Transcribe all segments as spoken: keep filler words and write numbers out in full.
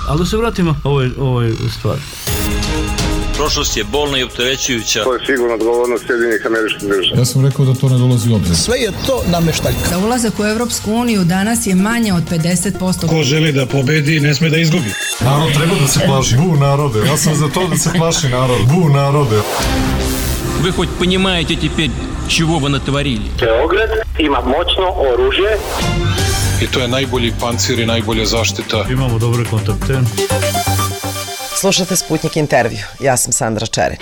Ali da se vratimo ovoj, ovoj stvari. Prošlost je bolna i opterećujuća. To je sigurno odgovornost Sjedinjenih Američkih Država. Ja sam rekao da to ne dolazi u obzir. Sve je to nameštaljka. Da ulazak u Evropsku uniju danas je manje od pedeset posto. Ko želi da pobedi, ne sme da izgubi. Narod treba da se plaši. Bu narode. Ja sam za to da se plaši narod. Bu narode. Вы хоть понимаете теперь, чего вы натворили? Beograd ima moćno oružje. I to je najbolji pancir i najbolja zaštita. Imamo dobre kontakte. Slušate Sputnik intervju. Ja sam Sandra Čere.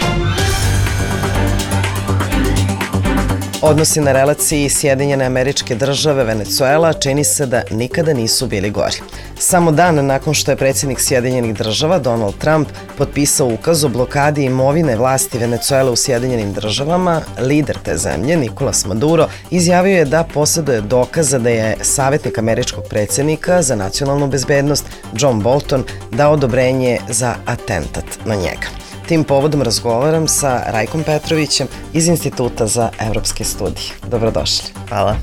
Odnosi na relaciji Sjedinjene Američke Države Venecuela čini se da nikada nisu bili gori. Samo dan nakon što je predsjednik Sjedinjenih Država Donald Trump potpisao ukaz o blokadi imovine vlasti Venecuele u Sjedinjenim Državama, lider te zemlje, Nicolas Maduro, izjavio je da posjeduje dokaza da je savjetnik američkog predsjednika za nacionalnu bezbednost John Bolton dao odobrenje za atentat na njega. Tim povodom razgovaram sa Rajkom Petrovićem iz Instituta za evropske studije. Dobrodošli. Hvala.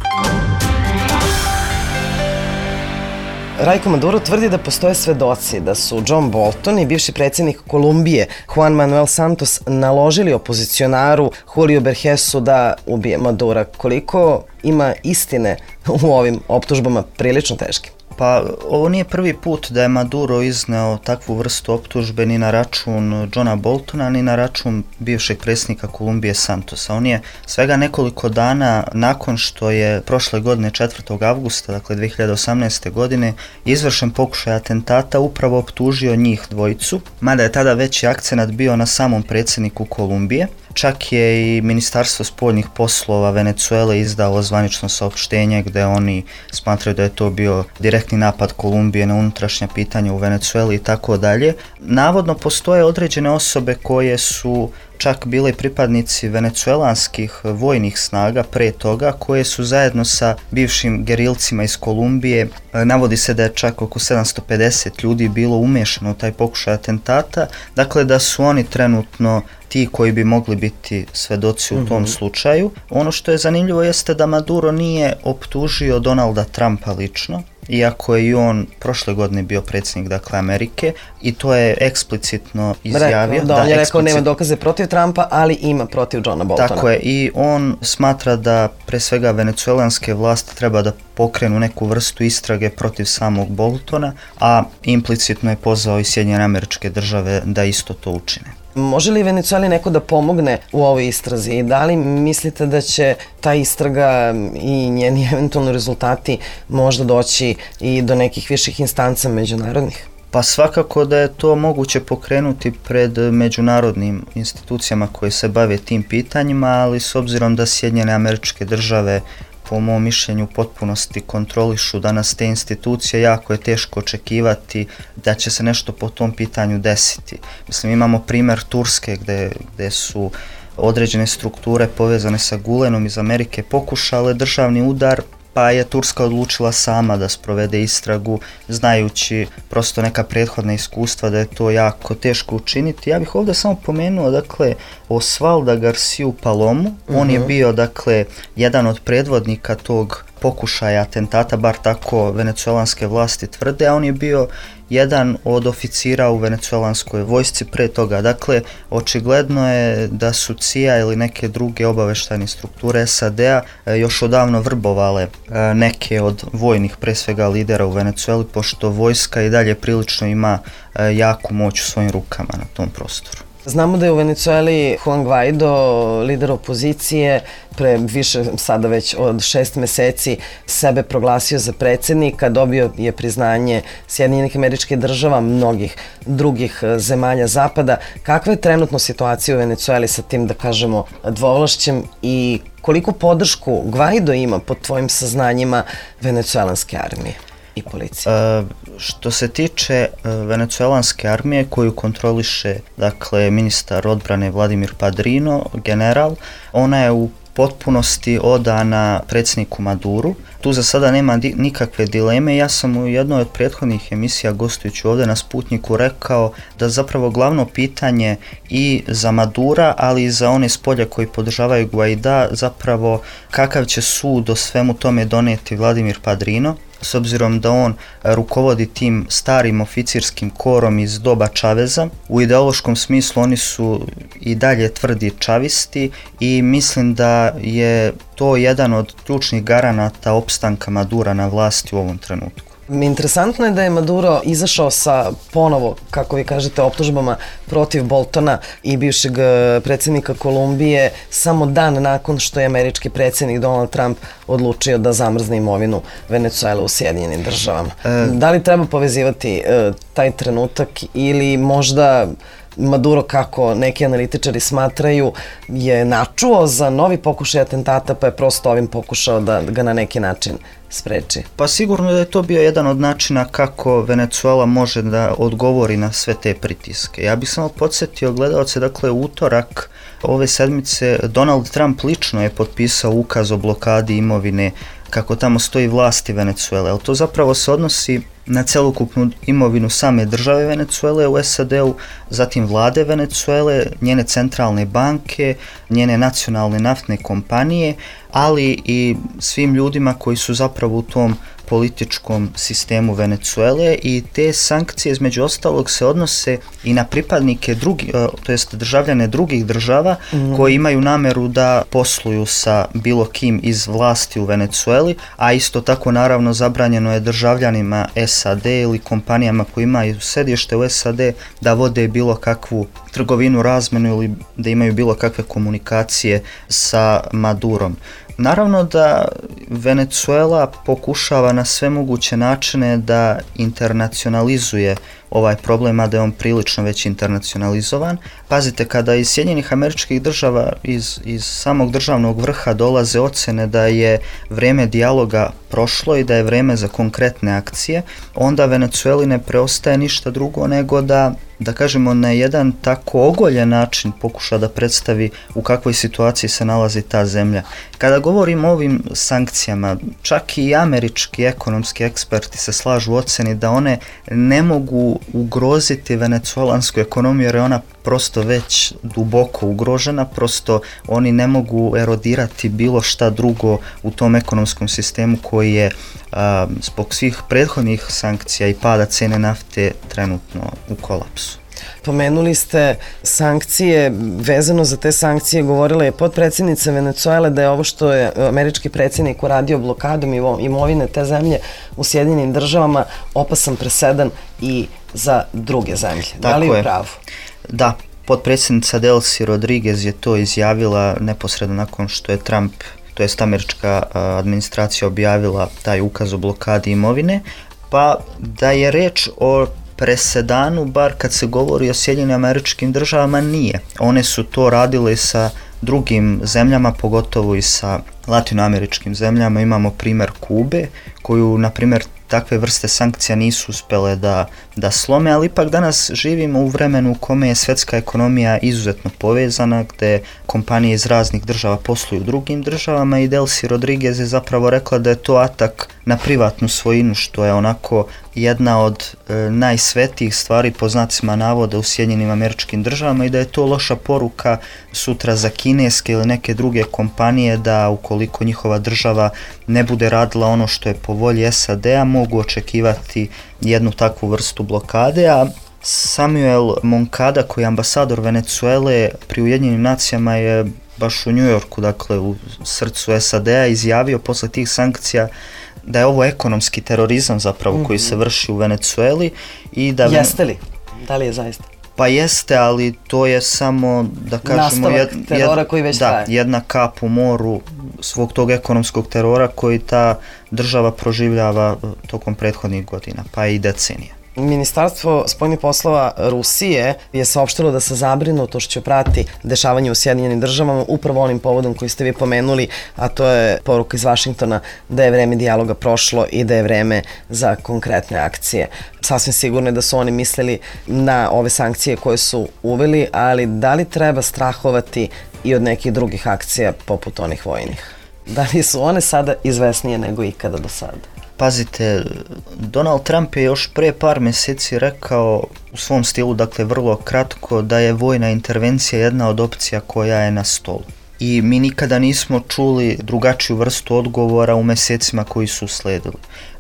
Rajko, Maduro tvrdi da postoje svedoci da su John Bolton i bivši predsjednik Kolumbije Juan Manuel Santos naložili opozicionaru Julio Bergesu da ubije Madura. Koliko ima istine u ovim optužbama prilično teškim? Pa ovo nije prvi put da je Maduro izneo takvu vrstu optužbe ni na račun Johna Boltona, ni na račun bivšeg predsjednika Kolumbije Santosa. On je svega nekoliko dana nakon što je prošle godine četvrtog avgusta, dakle dve hiljade osamnaeste. godine, izvršen pokušaj atentata, upravo optužio njih dvojicu, mada je tada veći akcenat bio na samom predsjedniku Kolumbije. Čak je i Ministarstvo spoljnih poslova Venecuele izdalo zvanično saopštenje gde oni smatraju da je to bio direktni napad Kolumbije na unutrašnja pitanja u Venecueli i tako dalje. Navodno postoje određene osobe koje su čak bile pripadnici venecuelanskih vojnih snaga pre toga, koje su zajedno sa bivšim gerilcima iz Kolumbije, navodi se da je čak oko sedamsto pedeset ljudi bilo umešano u taj pokušaj atentata, dakle da su oni trenutno ti koji bi mogli biti svedoci u tom mm-hmm. slučaju. Ono što je zanimljivo jeste da Maduro nije optužio Donalda Trumpa lično, iako je i on prošle godine bio predsjednik, dakle, Amerike, i to je eksplicitno izjavio. Rekao, da, on je rekao nema dokaze protiv Trumpa, ali ima protiv Johna Boltona. Tako je, i on smatra da pre svega venecuelanske vlasti treba da pokrenu neku vrstu istrage protiv samog Boltona, a implicitno je pozvao i Sjedinjene Američke Države da isto to učine. Može li Venecueli neko da pomogne u ovoj istrazi i da li mislite da će ta istraga i njeni eventualni rezultati možda doći i do nekih viših instanca međunarodnih? Pa svakako da je to moguće pokrenuti pred međunarodnim institucijama koje se bave tim pitanjima, ali s obzirom da Sjedinjene Američke Države po mom mišljenju u potpunosti kontrolišu danas te institucije, jako je teško očekivati da će se nešto po tom pitanju desiti. Mislim, imamo primjer Turske gde, gde su određene strukture povezane sa Gulenom iz Amerike pokušale državni udar, pa je Turska odlučila sama da sprovede istragu, znajući prosto neka prethodna iskustva da je to jako teško učiniti. Ja bih ovdje samo pomenuo, dakle, Osvalda Garciju Palomu. Uh-huh. On je bio, dakle, jedan od predvodnika tog pokušaja atentata, bar tako venecuelanske vlasti tvrde, a on je bio jedan od oficira u venecuelanskoj vojsci pre toga. Dakle, očigledno je da su C I A ili neke druge obaveštajne strukture S A D-a još odavno vrbovale neke od vojnih, pre svega lidera u Venecueli, pošto vojska i dalje prilično ima jaku moć u svojim rukama na tom prostoru. Znamo da je u Venecueli Juan Guaido, lider opozicije, pre više sada već od šest meseci sebe proglasio za predsjednika, dobio je priznanje Sjedinjenih Američkih Država, mnogih drugih zemalja zapada. Kakva je trenutno situacija u Venecueli sa tim, da kažemo, dvovlašćem i koliko podršku Guaido ima pod tvojim saznanjima venecuelanske armije i policije? E, što se tiče e, venecuelanske armije koju kontroliše, dakle, ministar odbrane Vladimir Padrino, general, ona je u potpunosti odana predsjedniku Maduru. Tu za sada nema di- nikakve dileme. Ja sam u jednoj od prethodnih emisija gostujući ovdje na Sputniku rekao da zapravo glavno pitanje i za Madura, ali i za one s polja koji podržavaju Guaida, zapravo kakav će sud o svemu tome donijeti Vladimir Padrino. s obzirom da on rukovodi tim starim oficirskim korom iz doba Čaveza. U ideološkom smislu oni su i dalje tvrdi čavisti i mislim da je to jedan od ključnih garanata opstanka Madura na vlasti u ovom trenutku. Interesantno je da je Maduro izašao sa ponovo, kako vi kažete, optužbama protiv Boltona i bivšeg predsjednika Kolumbije samo dan nakon što je američki predsjednik Donald Trump odlučio da zamrzne imovinu Venecuele u Sjedinjenim državama. E... Da li treba povezivati e, taj trenutak ili možda Maduro, kako neki analitičari smatraju, je načuo za novi pokušaj atentata pa je prosto ovim pokušao da ga na neki način spreči? Pa sigurno da je to bio jedan od načina kako Venecuela može da odgovori na sve te pritiske. Ja bih samo podsjetio gledalce, dakle utorak ove sedmice Donald Trump lično je potpisao ukaz o blokadi imovine, kako tamo stoji, vlasti Venecuele, ali to zapravo se odnosi na celokupnu imovinu same države Venecuele u S A D-u, zatim vlade Venecuele, njene centralne banke, njene nacionalne naftne kompanije, ali i svim ljudima koji su zapravo u tom političkom sistemu Venecuele, i te sankcije između ostalog se odnose i na pripadnike drugi, to jest državljane drugih država mm. koji imaju nameru da posluju sa bilo kim iz vlasti u Venecueli, a isto tako naravno zabranjeno je državljanima S A D ili kompanijama koji imaju sedište u S A D da vode bilo kakvu trgovinu, razmenu ili da imaju bilo kakve komunikacije sa Madurom. Naravno da Venecuela pokušava na sve moguće načine da internacionalizuje ovaj problem, a da je on prilično već internacionalizovan. Pazite, kada iz Sjedinjenih Američkih Država, iz, iz samog državnog vrha dolaze ocene da je vrijeme dijaloga prošlo i da je vrijeme za konkretne akcije, onda Venecueli ne preostaje ništa drugo nego da, da kažemo, na jedan tako ogoljen način pokuša da predstavi u kakvoj situaciji se nalazi ta zemlja. Kada govorimo o ovim sankcijama, čak i američki ekonomski eksperti se slažu u oceni da one ne mogu ugroziti venecuelansku ekonomiju jer je ona prosto već duboko ugrožena, prosto oni ne mogu erodirati bilo šta drugo u tom ekonomskom sistemu koji je a, zbog svih prethodnih sankcija i pada cene nafte trenutno u kolapsu. Pomenuli ste sankcije, vezano za te sankcije govorila je potpredsjednica Venecuele da je ovo što je američki predsjednik uradio blokadom imovine te zemlje u Sjedinjenim Državama opasan presedan i za druge zemlje. Da li je pravo? Da, potpredsjednica Delcy Rodriguez je to izjavila neposredno nakon što je Trump, to jest američka administracija, objavila taj ukaz o blokadi imovine, pa da je reč o presedanu, bar kad se govori o Sjedinjenim Američkim Državama, nije. One su to radile sa drugim zemljama, pogotovo i sa latinoameričkim zemljama. Imamo primjer Kube, koju, na primjer, takve vrste sankcija nisu uspjele da, da slome, ali ipak danas živimo u vremenu u kome je svjetska ekonomija izuzetno povezana, gdje kompanije iz raznih država posluju u drugim državama, i Delcy Rodriguez je zapravo rekla da je to atak na privatnu svojinu, što je onako jedna od e, najsvetijih stvari po znacima navoda u Sjedinjenim Američkim Državama, i da je to loša poruka sutra za kineske ili neke druge kompanije da ukoliko njihova država ne bude radila ono što je po volji S A D-a, mogu očekivati jednu takvu vrstu blokade. A Samuel Moncada, koji je ambasador Venecuele pri Ujedinjenim nacijama, je baš u New Yorku, dakle u srcu S A D-a, izjavio posle tih sankcija da je ovo ekonomski terorizam zapravo mm-hmm. koji se vrši u Venecueli. I da Jeste li? Da li je zaista? Pa jeste, ali to je samo, da kažemo, jed, terora jed, koji već da, traje. jedna kap u moru svog tog ekonomskog terora koji ta država proživljava tokom prethodnih godina, pa i decenija. Ministarstvo spoljnih poslova Rusije je saopštilo da se zabrinutošću prati dešavanje u Sjedinjenim Državama upravo onim povodom koji ste vi pomenuli, a to je poruka iz Vašingtona da je vreme dijaloga prošlo i da je vreme za konkretne akcije. Sasvim sigurno je da su oni mislili na ove sankcije koje su uveli, ali da li treba strahovati i od nekih drugih akcija poput onih vojnih? Da li su one sada izvesnije nego ikada do sada? Pazite, Donald Trump je još pre par mjeseci rekao u svom stilu, dakle vrlo kratko, da je vojna intervencija jedna od opcija koja je na stolu. I mi nikada nismo čuli drugačiju vrstu odgovora u mjesecima koji su sledili.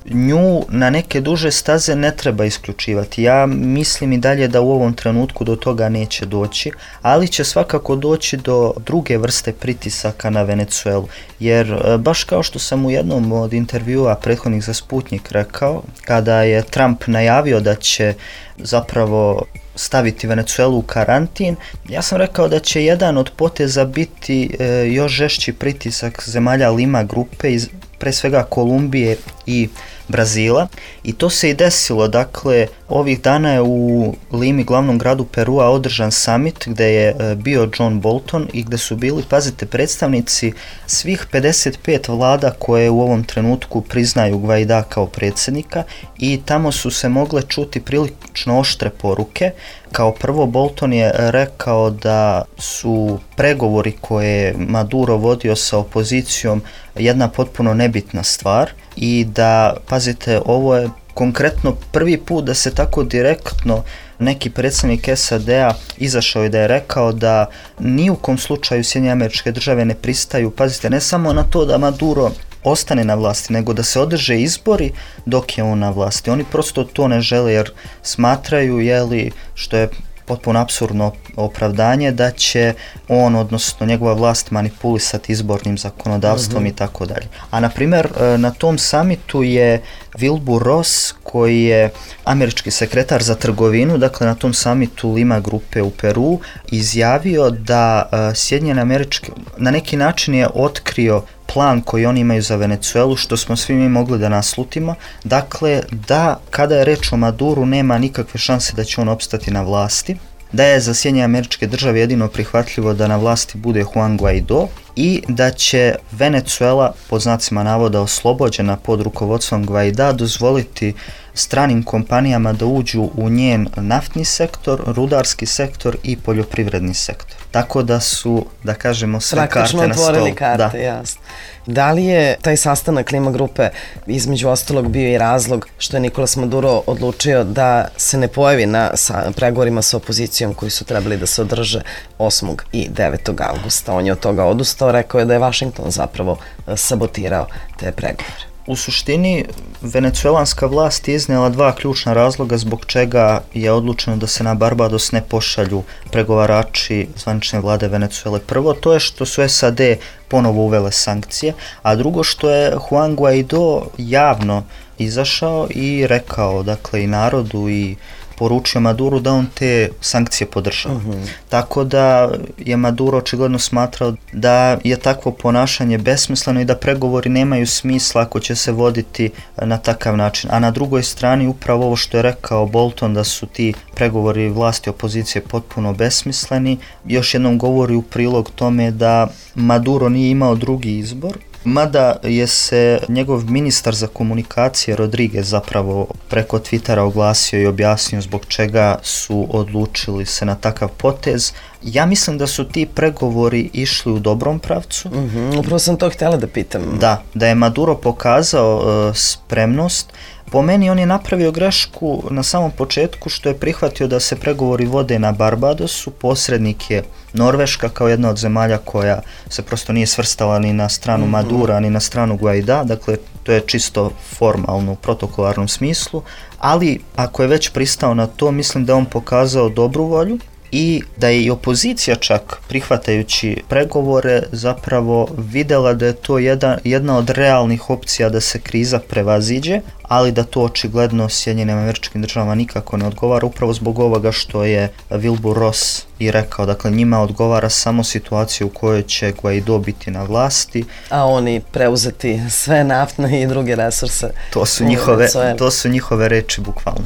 nju na neke duže staze ne treba isključivati. Ja mislim i dalje da u ovom trenutku do toga neće doći, ali će svakako doći do druge vrste pritisaka na Venecuelu. Jer baš kao što sam u jednom od intervjua prethodnih za Sputnik rekao, kada je Trump najavio da će zapravo staviti Venecuelu u karantin, ja sam rekao da će jedan od poteza biti e, još žešći pritisak zemalja Lima grupe, iz, pre svega Kolumbije i Brazila, i to se i desilo. Dakle, ovih dana je u Limi, glavnom gradu Perua, održan summit gde je e, bio John Bolton i gde su bili, pazite, predstavnici svih pedeset pet vlada koje u ovom trenutku priznaju Guaida kao predsjednika, i tamo su se mogle čuti prilično oštre poruke. Kao prvo, Bolton je rekao da su pregovori koje je Maduro vodio sa opozicijom jedna potpuno nebitna stvar i da, pazite, ovo je konkretno prvi put da se tako direktno neki predsjednik S A D-a izašao i da je rekao da ni u kom slučaju Sjedinjene Američke Države ne pristaju, pazite, ne samo na to da Maduro ostane na vlasti, nego da se održe izbori dok je on na vlasti. Oni prosto to ne žele jer smatraju, jeli, što je potpuno apsurdno opravdanje, da će on, odnosno njegova vlast, manipulisati izbornim zakonodavstvom, uh-huh, i tako dalje. A na primjer, na tom samitu je Wilbur Ross, koji je američki sekretar za trgovinu, dakle na tom samitu Lima grupe u Peru, izjavio da Sjedinjene Američke, na neki način je otkrio plan koji oni imaju za Venecuelu, što smo svi mi mogli da naslutimo. Dakle, da kada je reč o Maduru nema nikakve šanse da će on opstati na vlasti, da je za Sjedinjene Američke Države jedino prihvatljivo da na vlasti bude Juan Guaido i da će Venecuela, pod znacima navoda oslobođena pod rukovodstvom Guaida, dozvoliti stranim kompanijama da uđu u njen naftni sektor, rudarski sektor i poljoprivredni sektor. Tako da su, da kažemo, sve praktično karte na stolu. Praktično otvorili karte, da. Jasno. Da li je taj sastanak Lima grupe između ostalog bio i razlog što je Nicolas Maduro odlučio da se ne pojavi na sa, pregovorima sa opozicijom koji su trebali da se održe osmog i devetog avgusta? On je od toga odustao, rekao je da je Washington zapravo sabotirao te pregovore. U suštini, venecuelanska vlast je iznijela dva ključna razloga zbog čega je odlučeno da se na Barbados ne pošalju pregovarači zvanične vlade Venecuele. Prvo, to je što su S A D ponovo uvele sankcije, a drugo što je Juan Guaido javno izašao i rekao, dakle, i narodu i poručio Maduro da on te sankcije podržava. Uh-huh. Tako da je Maduro očigledno smatrao da je takvo ponašanje besmisleno i da pregovori nemaju smisla ako će se voditi na takav način. A na drugoj strani upravo ovo što je rekao Bolton, da su ti pregovori vlasti opozicije potpuno besmisleni, još jednom govori u prilog tome da Maduro nije imao drugi izbor. Mada je se njegov ministar za komunikacije Rodriguez zapravo preko Twittera oglasio i objasnio zbog čega su odlučili se na takav potez. Ja mislim da su ti pregovori išli u dobrom pravcu. Uh-huh, upravo sam to htjela da pitam. Da, da je Maduro pokazao uh, spremnost. Po meni on je napravio grešku na samom početku što je prihvatio da se pregovori vode na Barbadosu. Posrednik je Norveška kao jedna od zemalja koja se prosto nije svrstala ni na stranu Madura, ni na stranu Guaida, dakle to je čisto formalno u protokolarnom smislu, ali ako je već pristao na to, mislim da on pokazao dobru volju i da je i opozicija čak prihvatajući pregovore zapravo videla da je to jedan, jedna od realnih opcija da se kriza prevaziđe, ali da to očigledno Sjedinjenim Američkim Državama nikako ne odgovara, upravo zbog ovoga što je Wilbur Ross i rekao. Dakle, njima odgovara samo situacija u kojoj će Guaido biti na vlasti. A oni preuzeti sve naftne i druge resurse. To su njihove, to su njihove reči bukvalno.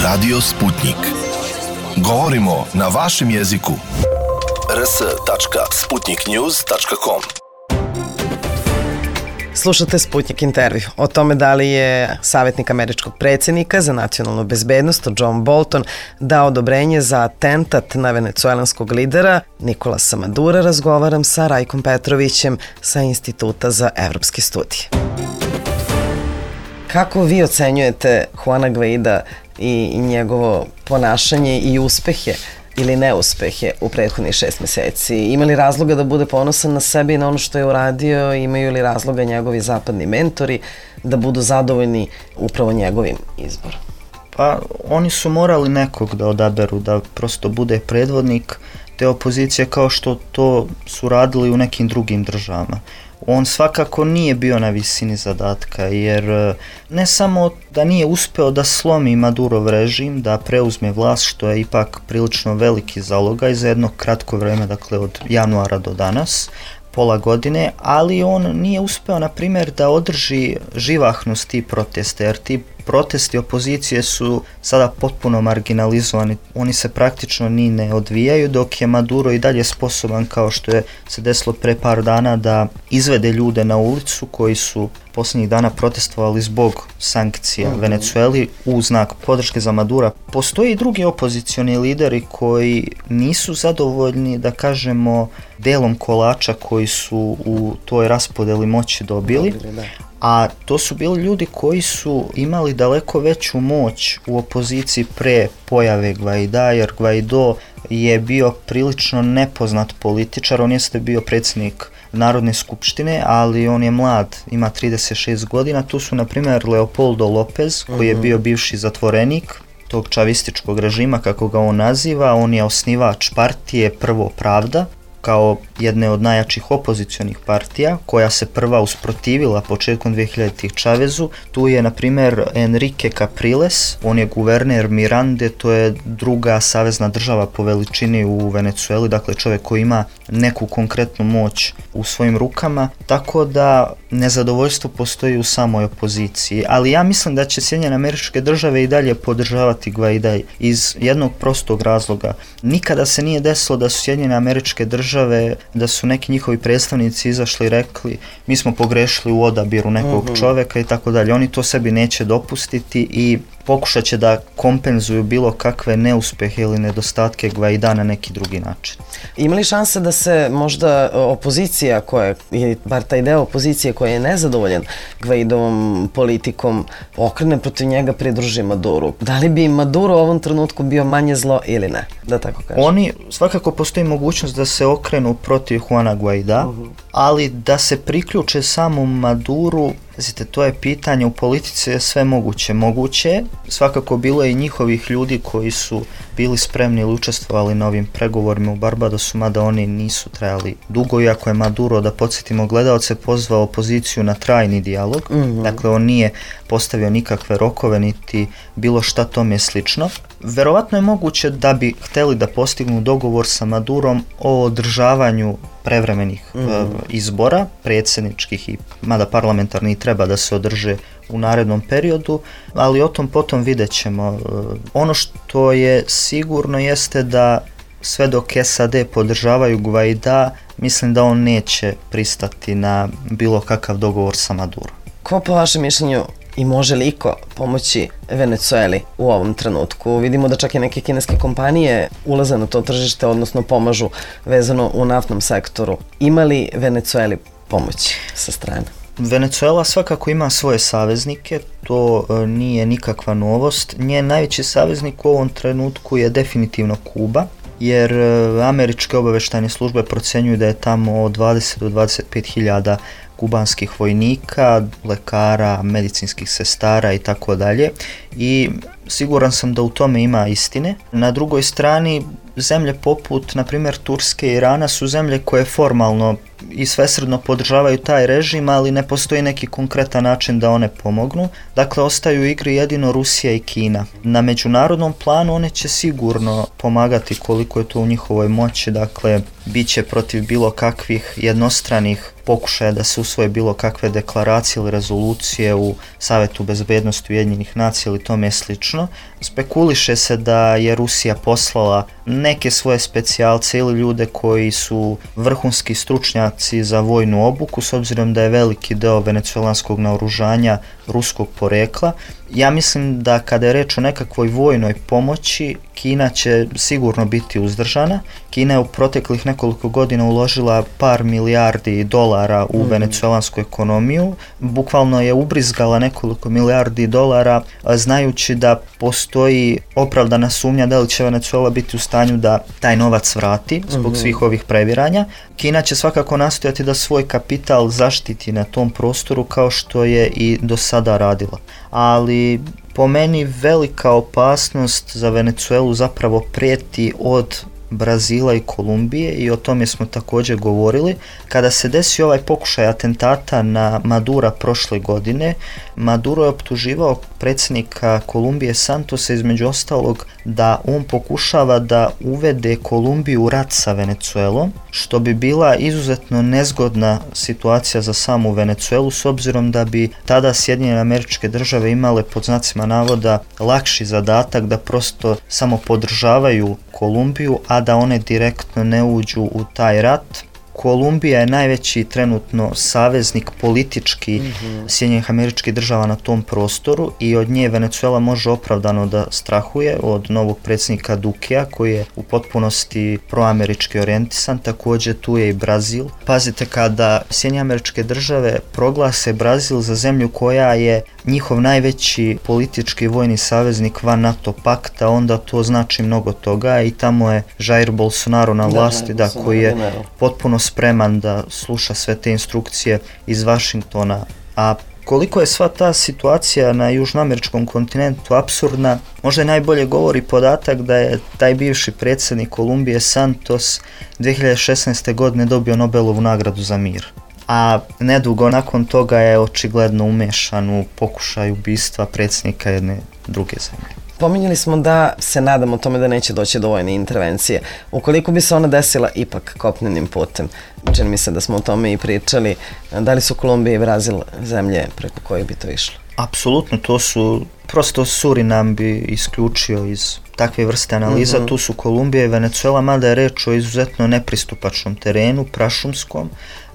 Radio Sputnik. Govorimo na vašem jeziku. r s tačka sputnik news tačka com. Slušate Sputnik intervju o tome da li je savjetnik američkog predsjednika za nacionalnu bezbednost John Bolton dao odobrenje za atentat na venecuelanskog lidera Nicolasa Madura. Razgovaram sa Rajkom Petrovićem sa Instituta za evropske studije. Kako vi ocenjujete Juana Guaida i njegovo ponašanje i uspehe ili neuspehe u prethodnih šest meseci? Ima li razloga da bude ponosan na sebe i na ono što je uradio? Imaju li razloga njegovi zapadni mentori da budu zadovoljni upravo njegovim izborom? Pa oni su morali nekog da odaberu, da prosto bude predvodnik te opozicije kao što to su radili u nekim drugim državama. On svakako nije bio na visini zadatka, jer ne samo da nije uspeo da slomi Madurov režim, da preuzme vlast, što je ipak prilično veliki zalogaj za jedno kratko vreme, dakle od januara do danas, pola godine, ali on nije uspeo, na primjer, da održi živahnost tih protesta, jer ti protesti opozicije su sada potpuno marginalizovani, oni se praktično ni ne odvijaju, dok je Maduro i dalje sposoban, kao što je se desilo pre par dana, da izvede ljude na ulicu koji su posljednjih dana protestovali zbog sankcija mm-hmm. Venecueli u znak podrške za Madura. Postoji i drugi opozicioni lideri koji nisu zadovoljni, da kažemo, delom kolača koji su u toj raspodeli moći dobili, dobili a to su bili ljudi koji su imali daleko veću moć u opoziciji pre pojave Gvaida, jer Guaido je bio prilično nepoznat političar, on jeste bio predsjednik Narodne skupštine, ali on je mlad, ima trideset šest godina. Tu su, na primjer, Leopoldo Lopez, koji je bio bivši zatvorenik tog čavističkog režima, kako ga on naziva. On je osnivač partije Prvo Pravda, kao jedne od najjačih opozicionih partija, koja se prva usprotivila početkom dvehiljaditih Čavezu. Tu je, na primjer, Enrique Capriles, on je guverner Mirande, to je druga savezna država po veličini u Venecueli, dakle čovjek koji ima neku konkretnu moć u svojim rukama, tako da nezadovoljstvo postoji u samoj opoziciji. Ali ja mislim da će Sjedinjene Američke Države i dalje podržavati Gvaida iz jednog prostog razloga. Nikada se nije desilo da su Sjedinjene Američke Države da su neki njihovi predstavnici izašli i rekli mi smo pogrešili u odabiru nekog mm-hmm. čovjeka i tako dalje. Oni to sebi neće dopustiti i pokušat će da kompenzuju bilo kakve neuspehe ili nedostatke Gvaida na neki drugi način. Ima li šanse da se možda opozicija koja, ili bar taj deo opozicije koji je nezadovoljan Gvaidovom politikom, okrene protiv njega, pridruži Maduru? Da li bi Maduro u ovom trenutku bio manje zlo ili ne? Da tako kažem. Oni, svakako postoji mogućnost da se okrenu protiv Juana Gvaida, uh-huh. ali da se priključe samom Maduru, znate, to je pitanje, u politici je sve moguće. Moguće, svakako bilo je i njihovih ljudi koji su bili spremni ili učestvovali na ovim pregovorima u Barbadosu, mada oni nisu trajali dugo, iako je Maduro, da podsjetimo gledaoce, pozvao opoziciju na trajni dijalog, mm-hmm. dakle on nije postavio nikakve rokove niti bilo šta tome slično. Verovatno je moguće da bi hteli da postignu dogovor sa Madurom o održavanju prevremenih mm. e, izbora, predsjedničkih i mada parlamentarni treba da se održe u narednom periodu, ali o tom potom vidjet ćemo. E, ono što je sigurno jeste da sve dok S A D podržavaju Gvaida, mislim da on neće pristati na bilo kakav dogovor sa Madurom. Ko po vašem mišljenju i može li iko pomoći Venecueli u ovom trenutku? Vidimo da čak i neke kineske kompanije ulaze na to tržište, odnosno pomažu vezano u naftnom sektoru. Ima li Venecueli pomoći sa strane? Venecuela svakako ima svoje saveznike, to e, nije nikakva novost. Njen najveći saveznik u ovom trenutku je definitivno Kuba, jer e, američke obavještajne službe procjenjuju da je tamo od dvadeset do dvadeset pet hiljada kubanskih vojnika, lekara, medicinskih sestara i tako dalje. I siguran sam da u tome ima istine. Na drugoj strani, zemlje poput, na primjer, Turske i Irana su zemlje koje formalno i svesrdno podržavaju taj režim, ali ne postoji neki konkretan način da one pomognu. Dakle, ostaju u igri jedino Rusija i Kina. Na međunarodnom planu one će sigurno pomagati koliko je to u njihovoj moći, dakle, bit će protiv bilo kakvih jednostranih pokušaja da se usvoje bilo kakve deklaracije ili rezolucije u Savetu bezbednosti Ujedinjenih nacija ili tome slično. Spekuliše se da je Rusija poslala neke svoje specijalce ili ljude koji su vrhunski stručnjaci za vojnu obuku, s obzirom da je veliki deo venecuelanskog naoružanja ruskog porekla, Ja mislim da kada je reč o nekakvoj vojnoj pomoći, Kina će sigurno biti uzdržana. Kina je u proteklih nekoliko godina uložila par milijardi dolara u mm. venecuelansku ekonomiju. Bukvalno je ubrizgala nekoliko milijardi dolara, znajući da postoji opravdana sumnja da li će Venecuela biti u stanju da taj novac vrati zbog mm-hmm. svih ovih previranja. Kina će svakako nastojati da svoj kapital zaštiti na tom prostoru kao što je i do sada radila. Ali po meni velika opasnost za Venecuelu zapravo prijeti od Brazila i Kolumbije i o tome smo također govorili. Kada se desio ovaj pokušaj atentata na Madura prošle godine, Maduro je optuživao predsjednika Kolumbije Santosa između ostalog da on pokušava da uvede Kolumbiju u rat sa Venecuelom, što bi bila izuzetno nezgodna situacija za samu Venecuelu s obzirom da bi tada Sjedinjene Američke Države imale pod znacima navoda lakši zadatak da prosto samo podržavaju Kolumbiju, a da one direktno ne uđu u taj rat. Kolumbija je najveći trenutno saveznik politički mm-hmm. Sjedinjenih Američkih Država na tom prostoru i od nje Venecuela može opravdano da strahuje od novog predsjednika Dukea koji je u potpunosti proamerički orijentisan. Također tu je i Brazil. Pazite, kada Sjedinjene Američke Države proglase Brazil za zemlju koja je njihov najveći politički vojni saveznik van NATO pakta, onda to znači mnogo toga i tamo je Jair Bolsonaro na vlasti, da, da, koji je potpuno spreman da sluša sve te instrukcije iz Vašingtona. A koliko je sva ta situacija na južnoameričkom kontinentu apsurdna, možda najbolje govori podatak da je taj bivši predsjednik Kolumbije Santos dvije hiljade šesnaeste. godine dobio Nobelovu nagradu za mir. A nedugo nakon toga je očigledno umešan u pokušaj ubistva predsjednika jedne druge zemlje. Pominjali smo da se nadamo tome da neće doći do vojne intervencije. Ukoliko bi se ona desila ipak kopnenim putem, čini mi se da smo o tome i pričali, da li su Kolumbija i Brazil zemlje preko koje bi to išlo? Apsolutno, to su, prosto Surinam bi isključio iz takve vrste analiza, mm-hmm. tu su Kolumbija i Venecuela, mada je reč o izuzetno nepristupačnom terenu, prašumskom.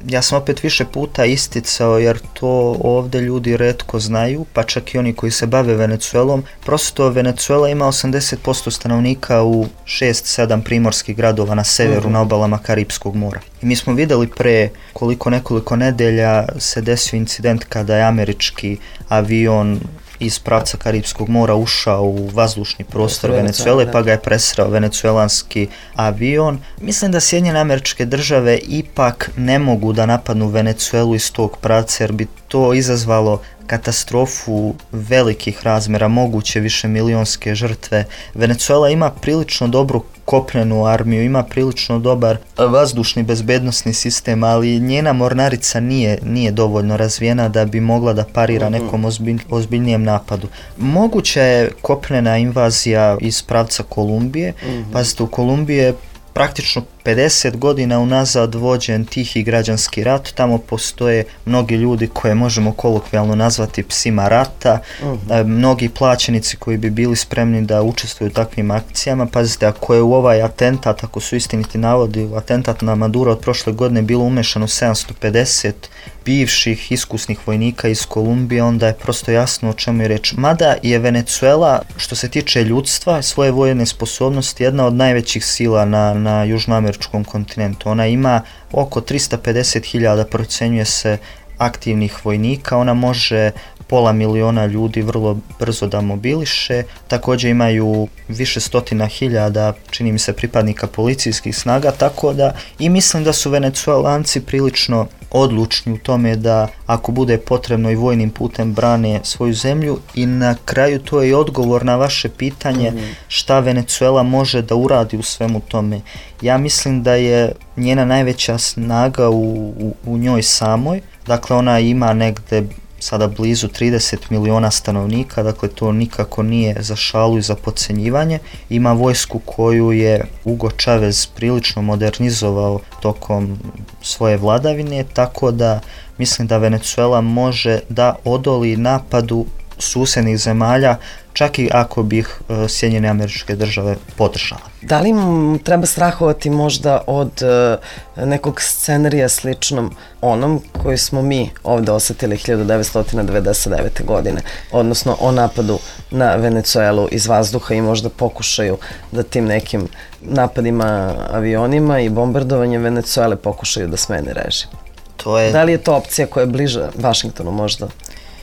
Ja sam opet više puta isticao, jer to ovdje ljudi retko znaju, pa čak i oni koji se bave Venecuelom. Prosto Venecuela ima osamdeset posto stanovnika u šest sedam primorskih gradova na severu, mm-hmm. na obalama Karipskog mora. I mi smo vidjeli pre koliko nekoliko nedelja se desio incident kada je američki avion iz pravca Karipskog mora ušao u vazdušni prostor Venecuele, pa ga je presreo venecuelanski avion. Mislim da Sjedinjene Američke Države ipak ne mogu da napadnu Venecuelu iz tog pravca, jer bi to izazvalo katastrofu velikih razmjera, moguće više milionske žrtve. Venecuela ima prilično dobru kopnenu armiju, ima prilično dobar vazdušni bezbednosni sistem, ali njena mornarica nije, nije dovoljno razvijena da bi mogla da parira nekom ozbilj, ozbiljnijem napadu. Moguća je kopnena invazija iz pravca Kolumbije. Mm-hmm. Pazite, u Kolumbiji je praktično pedeset godina unazad vođen tihi građanski rat, tamo postoje mnogi ljudi koje možemo kolokvijalno nazvati psima rata, uh-huh. mnogi plaćenici koji bi bili spremni da učestvuju u takvim akcijama. Pazite, ako je u ovaj atentat, ako su istiniti navodi, u atentat na Maduro od prošle godine bilo umešano sedamsto pedeset bivših iskusnih vojnika iz Kolumbije, onda je prosto jasno o čemu je reč. Mada je Venecuela, što se tiče ljudstva, svoje vojne sposobnosti, jedna od najvećih sila na, na južnoameričkom kontinentu. Ona ima oko tristo pedeset hiljada, procenjuje se, aktivnih vojnika. Ona može pola miliona ljudi vrlo brzo da mobiliše. Također imaju više stotina hiljada, čini mi se, pripadnika policijskih snaga, tako da i mislim da su Venecuelanci prilično odlučni u tome da ako bude potrebno i vojnim putem brane svoju zemlju. I na kraju to je i odgovor na vaše pitanje šta Venecuela može da uradi u svemu tome. Ja mislim da je njena najveća snaga u, u, u njoj samoj. Dakle, ona ima negde sada blizu trideset miliona stanovnika, dakle to nikako nije za šalu i za podcenjivanje. Ima vojsku koju je Hugo Chavez prilično modernizovao tokom svoje vladavine, tako da mislim da Venecuela može da odoli napadu susednih zemalja čak i ako bi ih Sjedinjene Američke Države podržale. Da li im treba strahovati možda od uh, nekog scenarija sličnom onom koji smo mi ovde osetili hiljadu devetsto devedeset devete. godine, odnosno o napadu na Venecuelu iz vazduha i možda pokušaju da tim nekim napadima avionima i bombardovanjem Venecuele pokušaju da smene režim? To je... Da li je to opcija koja je bliža Vašingtonu možda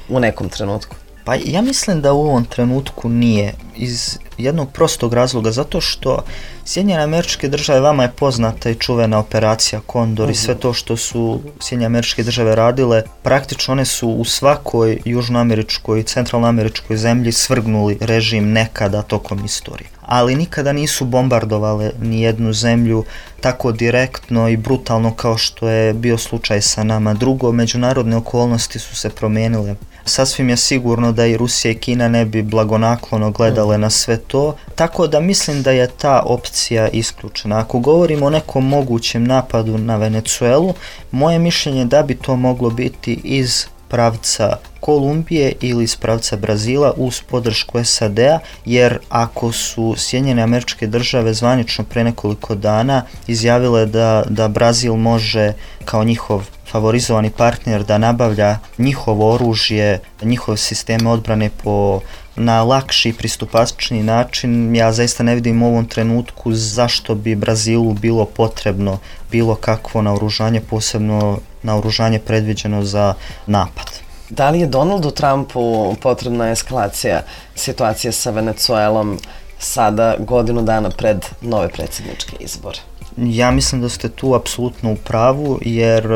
u nekom trenutku? Pa ja mislim da u ovom trenutku nije, iz jednog prostog razloga, zato što Sjedinjene Američke Države, vama je poznata i čuvena operacija Kondor i sve to što su Sjedinjene Američke Države radile, praktično one su u svakoj južnoameričkoj i centralnoameričkoj zemlji svrgnuli režim nekada tokom istorije. Ali nikada nisu bombardovale ni jednu zemlju tako direktno i brutalno kao što je bio slučaj sa nama. Drugo, međunarodne okolnosti su se promijenile. Sasvim je sigurno da i Rusija i Kina ne bi blagonaklono gledale na sve to, tako da mislim da je ta opcija isključena. Ako govorimo o nekom mogućem napadu na Venecuelu, moje mišljenje je da bi to moglo biti iz pravca Kolumbije ili iz pravca Brazila uz podršku S A D-a, jer ako su Sjedinjene Američke Države zvanično pre nekoliko dana izjavile da, da Brazil može kao njihov favorizovani partner da nabavlja njihovo oružje, njihove sisteme odbrane po na lakši i pristupačniji način, ja zaista ne vidim u ovom trenutku zašto bi Brazilu bilo potrebno bilo kakvo naoružanje, posebno naoružanje predviđeno za napad. Da li je Donaldu Trumpu potrebna eskalacija situacije sa Venecuelom sada godinu dana pred nove predsjedničke izbore? Ja mislim da ste tu apsolutno u pravu, jer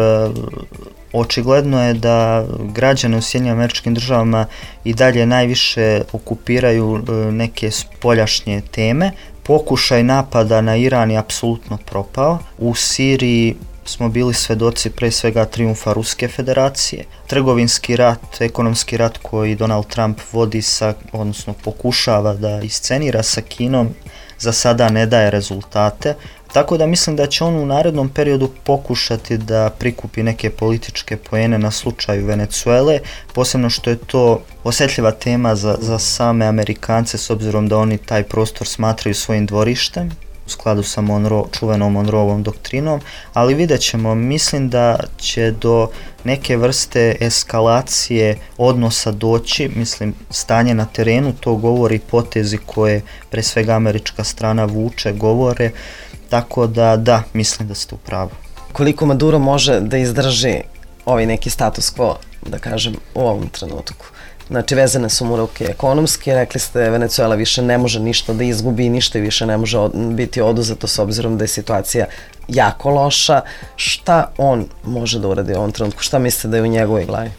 očigledno je da građane u Sjedinjenim Američkim Državama i dalje najviše okupiraju neke spoljašnje teme. Pokušaj napada na Iran je apsolutno propao. U Siriji smo bili svedoci pre svega trijumfa Ruske federacije. Trgovinski rat, ekonomski rat koji Donald Trump vodi sa, odnosno pokušava da iscenira sa Kinom, za sada ne daje rezultate. Tako da mislim da će on u narednom periodu pokušati da prikupi neke političke poene na slučaju Venecuele, posebno što je to osjetljiva tema za, za same Amerikance, s obzirom da oni taj prostor smatraju svojim dvorištem, u skladu sa Monroe, čuvenom Monroeovom doktrinom, ali vidjet ćemo, mislim da će do neke vrste eskalacije odnosa doći, mislim stanje na terenu, to govori potezi koje pre svega američka strana vuče, govore, tako da da, mislim da ste u pravu. Koliko Maduro može da izdrži ovaj neki status quo, da kažem, u ovom trenutku? Znači, vezane su mu ruke ekonomski, rekli ste Venecuela više ne može ništa da izgubi, ništa više ne može od, biti oduzeto s obzirom da je situacija jako loša. Šta on može da uradi u ovom trenutku? Šta mislite da je u njegovoj glavi?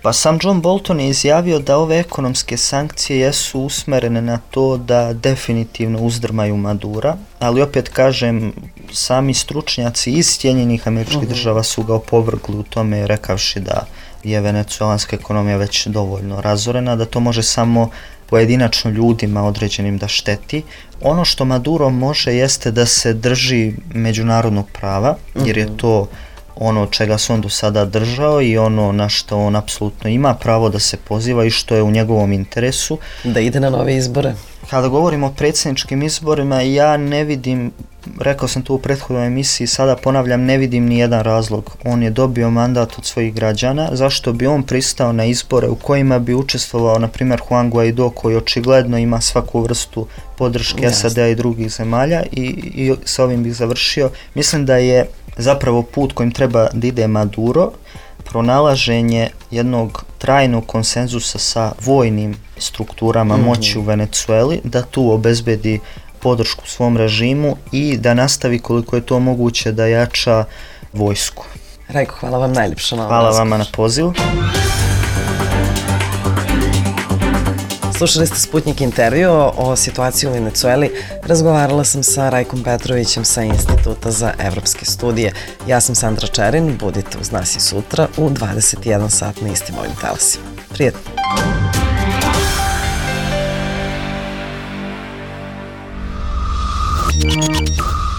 Pa sam John Bolton je izjavio da ove ekonomske sankcije jesu usmerene na to da definitivno uzdrmaju Madura, ali opet kažem, sami stručnjaci iz Sjedinjenih Američkih Država su ga opovrgli u tome, rekavši da je venecuelanska ekonomija već dovoljno razorena, da to može samo pojedinačno ljudima određenim da šteti. Ono što Maduro može jeste da se drži međunarodnog prava, jer je to ono od čega se on do sada držao i ono na što on apsolutno ima pravo da se poziva i što je u njegovom interesu. Da ide na nove izbore? Kada govorimo o predsjedničkim izborima, ja ne vidim, rekao sam to u prethodnoj emisiji, sada ponavljam, ne vidim ni jedan razlog. On je dobio mandat od svojih građana, zašto bi on pristao na izbore u kojima bi učestvovao, na primjer, Juan Guaido, koji očigledno ima svaku vrstu podrške S A D-a i drugih zemalja, i, i sa ovim bih završio. Mislim da je zapravo put kojim treba da ide Maduro pronalaženje jednog trajnog konsenzusa sa vojnim strukturama mm-hmm. moći u Venecueli, da tu obezbedi podršku svom režimu i da nastavi koliko je to moguće da jača vojsku. Rajko, hvala vam najljepše na ovom Hvala razgovoru. vama na pozivu. Slušali ste Sputnik intervju o situaciji u Venecueli. Razgovarala sam sa Rajkom Petrovićem sa Instituta za evropske studije. Ja sam Sandra Čerin, budite uz nas i sutra u dvadeset jedan sat na istim ovim talasima. Prijetno!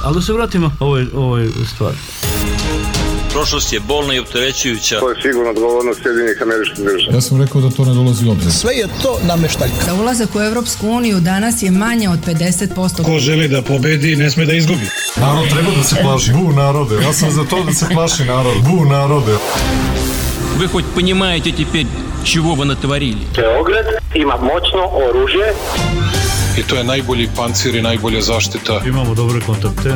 Ali da se vratimo ovoj, ovoj stvari. Prošlost je bolna i opterećujuća. To je sigurno odgovornost Sjedinjenih Američkih Država. Ja sam rekao da to ne dolazi u obzir. Sve je to nameštaljka. Za ulazak u Evropsku uniju danas je manje od pedeset posto. Ko želi da pobedi, ne sme da izgubi. Narod treba da se plaši. Bu narode, ja sam za to da se plaši narod. Bu narode. Вы хоть понимаете теперь, чего вы натворили? Beograd ima moćno oružje. I to je najbolji pancir i najbolja zaštita. Imamo dobre kontakte.